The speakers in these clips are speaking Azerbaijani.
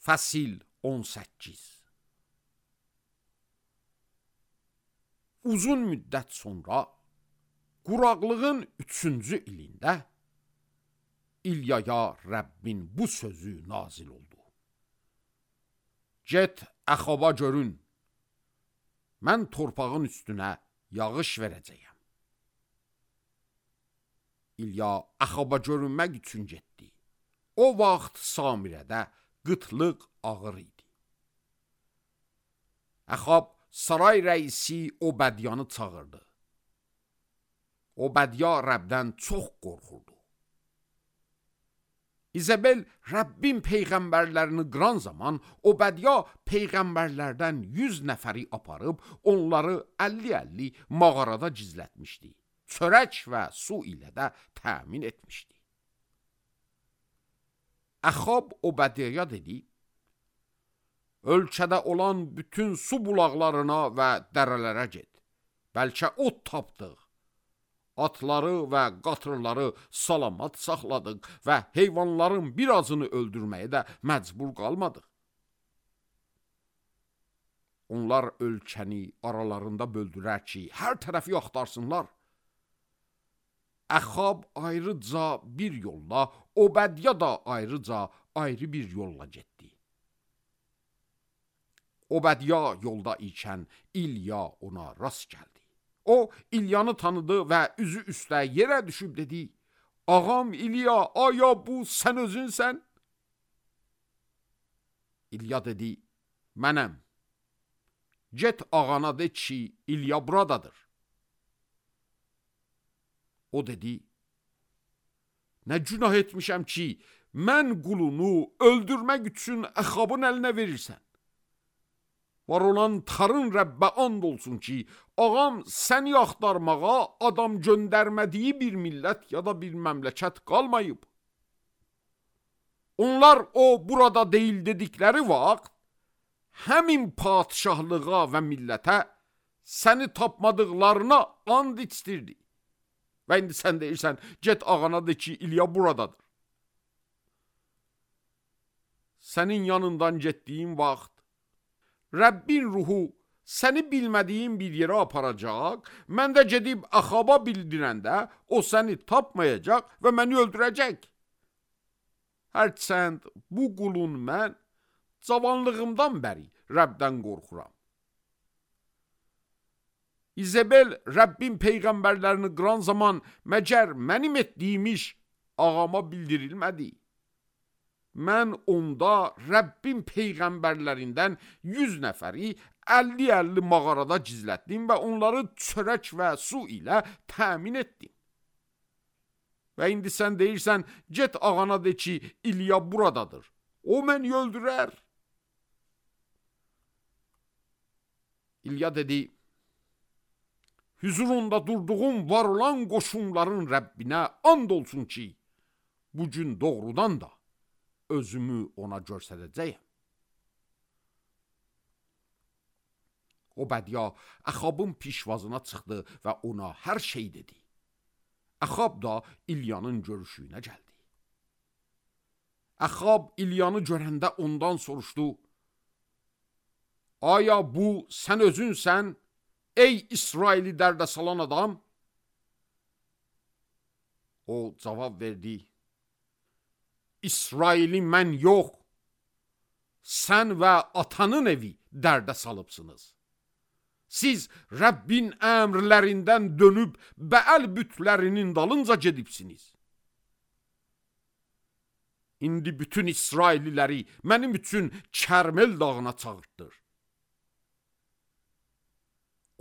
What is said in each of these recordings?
Fəsil 18. Uzun müddət sonra, quraqlığın 3-cü ilində İlyaya Rəbbin bu sözü nazil oldu. Get Əxaba görün, mən torpağın üstünə yağış verəcəyəm. İlya Əxaba görünmək üçün getdi. O vaxt Samirədə qıtlıq ağır idi. Əxab saray rəisi Obədyanı çağırdı. Obədya Rəbdən çox qorxurdu. İzabel Rəbbin peyğəmbərlərini qıran zaman Obədya peyğəmbərlərdən 100 nəfəri aparıb onları 50-50 mağarada gizlətmişdi. Çörək və su ilə də təmin etmişdi. Əxab Obədyaya dedi, ölkədə olan bütün su bulaqlarına və dərələrə get. Bəlkə ot tapdıq. Atları və qatırları salamat saxladıq və heyvanların birazını öldürməyə də məcbur qalmadıq. Onlar ölkəni aralarında böldürər ki, hər tərəfi axtarsınlar. Əxab ayrıca bir yolla, Obədya da ayrıca ayrı bir yolla getdi. Obədya yolda ikən İlya ona rast gəldi. O, İlyanı tanıdı və üzü üstə yerə düşüb dedi, ağam İlya, aya bu sən özünsən? İlya dedi, mənəm. Get ağana de ki, İlya buradadır. O dedi, nə günah etmişəm ki, mən qulunu öldürmək üçün Əxabın əlinə verirsən. Var olan tarın Rəbbə and olsun ki, ağam səni axtarmağa adam göndərmədiyi bir millət ya da bir məmləkət qalmayıb. Onlar o burada deyil dedikləri vaxt, həmin padişahlığa və millətə səni tapmadıqlarına and içdirdi. Və indi sən deyirsən, get ağana de ki, İlya buradadır. Sənin yanından getdiyin vaxt, Rəbbin ruhu səni bilmədiyin bir yerə aparacaq, mən də gedib Əxaba bildirəndə, o səni tapmayacaq və məni öldürəcək. Hərçənd bu qulun mən cavanlığımdan bəri Rəbdən qorxuram. İzabel Rəbbin peyğəmbərlərini qıran zaman məgər mənim etdiyim iş ağama bildirilmədi. Mən onda Rəbbin peyğəmbərlərindən 100 nəfəri 50-50 mağarada gizlətdim və onları çörək və su ilə təmin etdim. Və indi sən deyirsən, get ağana de ki, İlya buradadır. O məni öldürər. İlya dedi, hüzurunda durduğum var olan qoşunların Rəbbinə and olsun ki, bugün doğrudan da özümü ona göstərəcəyəm. Obədya Əxabın pişvazına çıxdı və ona hər şey dedi. Əxab da İlyanın görüşünə gəldi. Əxab İlyanı görəndə ondan soruşdu, aya bu sən özünsən, ey İsraili dərdə salan adam? O cavab verdi, İsraili mən yox, sən və atanın evi dərdə salıbsınız. Siz Rəbbin əmrlərindən dönüb Bəəl bütlərinin dalınca gedibsiniz. İndi bütün İsraililəri mənim üçün Kərmel dağına çağırtdır.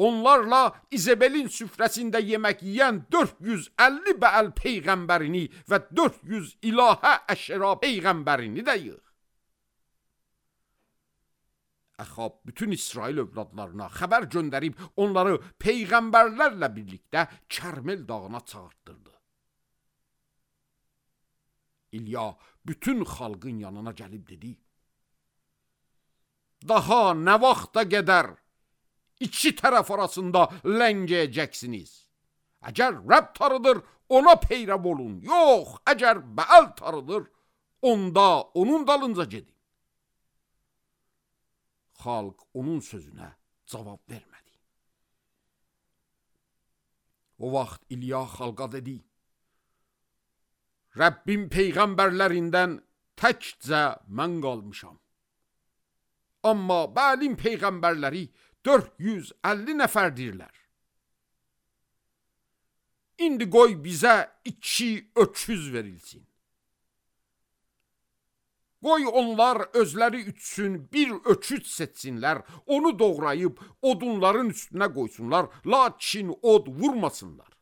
Onlarla İzabelin süfrəsində yemək yiyən 450 Bəəl peyğəmbərini və 400 ilahə əşra peyğəmbərini də yığ. Əxab bütün İsrail övladlarına xəbər göndərib onları peyğəmbərlərlə birlikdə Kərmel dağına çağırtdırdı. İlya bütün xalqın yanına gəlib dedi, daha nə vaxta qədər İki tərəf arasında ləngəyəcəksiniz. Əgər Rəbb tarıdır, ona peyrəv olun. Yox, əgər Bəəl tarıdır, onda onun dalınca gedin. xalq onun sözünə cavab vermədi. O vaxt İlya xalqa dedi: Rəbbim peyğəmbərlərindən təkcə mən qalmışam. Amma Bəlin peyğəmbərləri 450 nəfərdirlər. İndi qoy bizə 2 öküz verilsin. Qoy onlar özləri üçün bir öküz seçsinlər, onu doğrayıb odunların üstünə qoysunlar, lakin od vurmasınlar.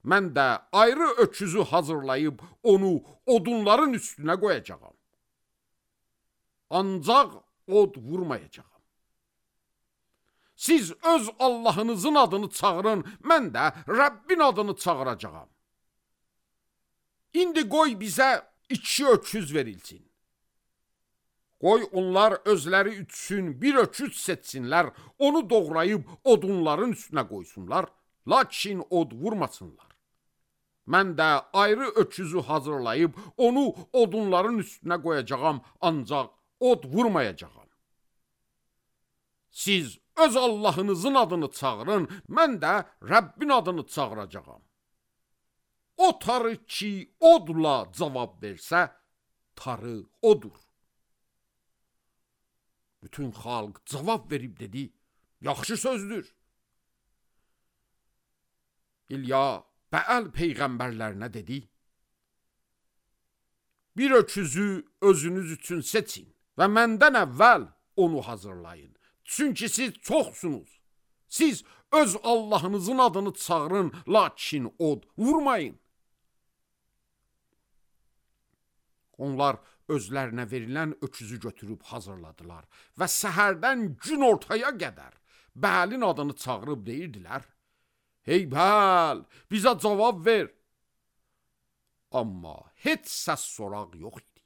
Mən də ayrı öküzü hazırlayıb onu odunların üstünə qoyacağam. Ancaq od vurmayacağam. Siz öz Allahınızın adını çağırın, mən də Rəbbin adını çağıracağam. İndi qoy bizə 2 öküz verilsin. Qoy onlar özləri üçün bir öküz seçsinlər, onu doğrayıb odunların üstünə qoysunlar, lakin od vurmasınlar. Mən də ayrı öküzü hazırlayıb onu odunların üstünə qoyacağam, ancaq od vurmayacağam. Siz öz Allahınızın adını çağırın, mən də Rəbbin adını çağıracağam. O tarı ki odla cavab versə, tarı odur. Bütün xalq cavab verib dedi: yaxşı sözdür. İlya Bəəl peyğəmbərlərinə dedi: bir öküzü özünüz üçün seçin və məndən əvvəl onu hazırlayın. Çünki siz çoxsunuz. Siz öz Allahınızın adını çağırın, lakin od vurmayın. Onlar özlərinə verilən öküzü götürüb hazırladılar və səhərdən gün ortaya qədər Bəlin adını çağırıb deyirdilər: hey Bəl, bizə cavab ver. Amma heç səs soraq yox idi.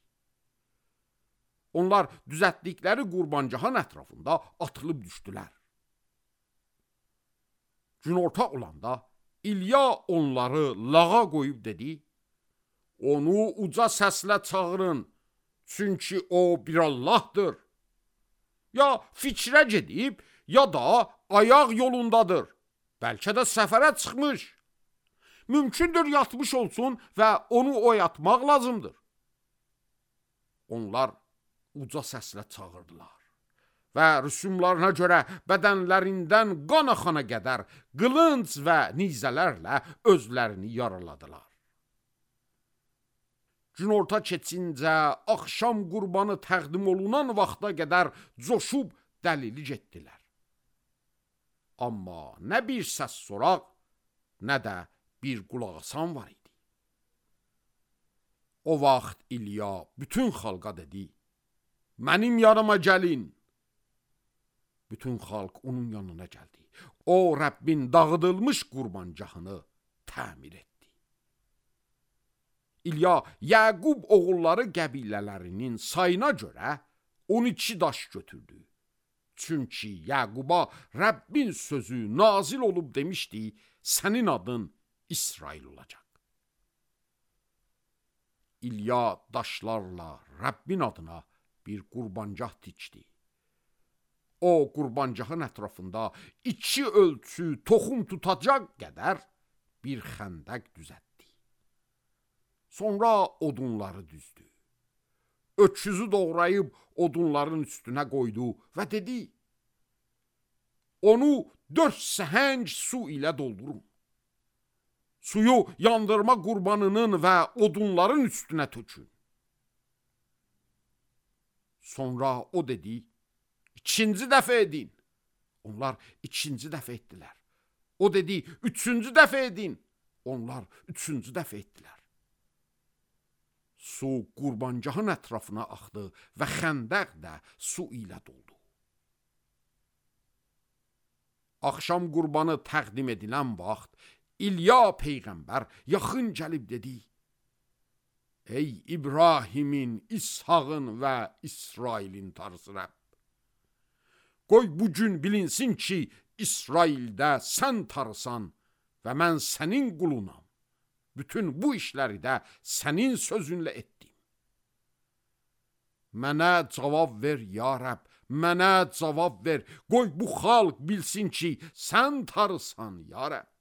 Onlar düzəltdikləri qurbancağın ətrafında atılıb düşdülər. Günorta olanda İlya onları lağa qoyub dedi: onu uca səslə çağırın, çünki o bir Allahdır. Ya fikrə gedib, ya da ayaq yolundadır. Bəlkə də səfərə çıxmış. Mümkündür yatmış olsun və onu oyatmaq lazımdır. Onlar uca səslə çağırdılar və rüsumlarına görə bədənlərindən qan axana qədər qılınc və nizələrlə özlərini yaraladılar. Günorta keçincə axşam qurbanı təqdim olunan vaxta qədər coşub dəlilik etdilər. Amma nə bir səs soraq, nə də bir qulaq asan var idi. O vaxt İlya bütün xalqa dedi: mənim yanıma gəlin. Bütün xalq onun yanına gəldi. O Rəbbin dağıdılmış qurbancağını təmir etdi. İlya Yəqub oğulları qəbilələrinin sayına görə 12 daş götürdü. Çünki Yəquba Rəbbin sözü nazil olub demişdi: sənin adın İsrail olacaq. İlya daşlarla Rəbbin adına bir qurbancaq tikdi. O qurbancağın ətrafında 2 ölçü toxum tutacaq qədər bir xəndək düzəltdi. Sonra odunları düzdü. Öküzü doğrayıb odunların üstünə qoydu və dedi: onu 4 səhəng su ilə doldurun. Suyu yandırma qurbanının və odunların üstünə tökün. Sonra o dedi: İkinci dəfə edin. Onlar ikinci dəfə etdilər. O dedi: üçüncü dəfə edin. Onlar üçüncü dəfə etdilər. Su qurbancağın ətrafına axdı və xəndək də su ilə doldu. Axşam qurbanı təqdim edilən vaxt İlya peyğəmbər yaxın gəlib dedi: ey İbrahimin, İshağın və İsrailin Tanrısı Rəbb, qoy bugün bilinsin ki, İsraildə sən Tanrısan və mən sənin qulunam. Bütün bu işləri də sənin sözünlə etdim. Mənə cavab ver, ya Rəbb, mənə cavab ver. Qoy bu xalq bilsin ki, sən Tanrısan, ya Rəbb.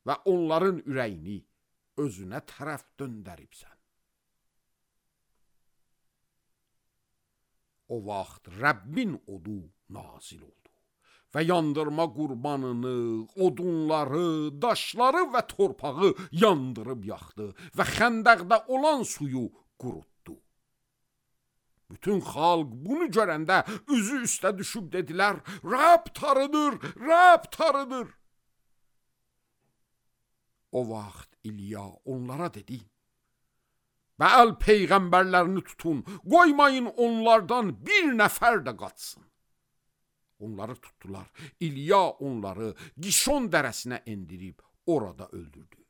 Və onların ürəyini özünə tərəf döndəribsən. O vaxt Rəbbin odu nazil oldu və yandırma qurbanını, odunları, daşları və torpağı yandırıb yaxdı və xəndəqdə olan suyu qurutdu. Bütün xalq bunu görəndə üzü üstə düşüb dedilər, Rəbb Tanrıdır, Rəbb Tanrıdır. O vaxt İlya onlara dedi, Bəal peyğəmbərlərini tutun, qoymayın onlardan bir nəfər də qaçsın. Onları tutdular, İlya onları Gişon dərəsinə endirib orada öldürdü.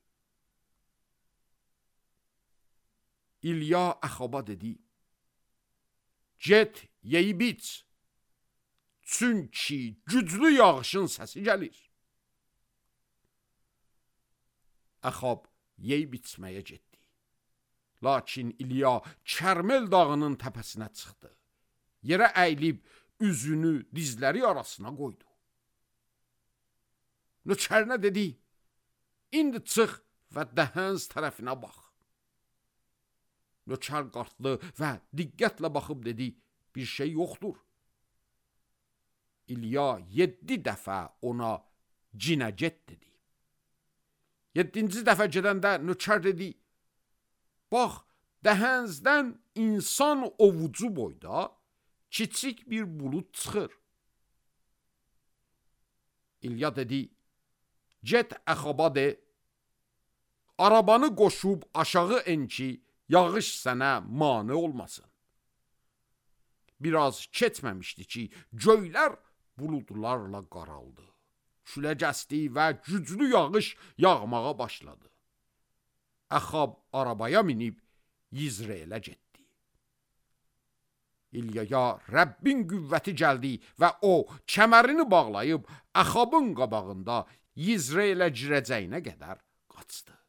İlya Əxaba dedi, Get, yeyib iç, çünki güclü yağışın səsi gəlir. Əxab yeyib içməyə getdi. Lakin İlya Kərmel dağının təpəsinə çıxdı. Yerə əyilib üzünü dizləri arasına qoydu. Nökərinə dedi, indi çıx və dəhəns tərəfinə bax. Nökər qalxdı və diqqətlə baxıb dedi, bir şey yoxdur. İlya 7 dəfə ona cinə get dedi. 7-ci dəfə gedəndə nökər dedi, bax, dəhənzdən insan ovucu boyda kiçik bir bulud çıxır. İlya dedi, get Əxaba de, arabanı qoşub aşağı en ki, yağış sənə mane olmasın. Biraz keçməmişdi ki, göylər buludlarla qaraldı. Küləcəsti və güclü yağış yağmağa başladı. Əxab arabaya minib Yizreelə getdi. İlyaya Rəbbin qüvvəti gəldi və o kəmərini bağlayıb Əxabın qabağında Yizreelə girəcəyinə qədər qaçdı.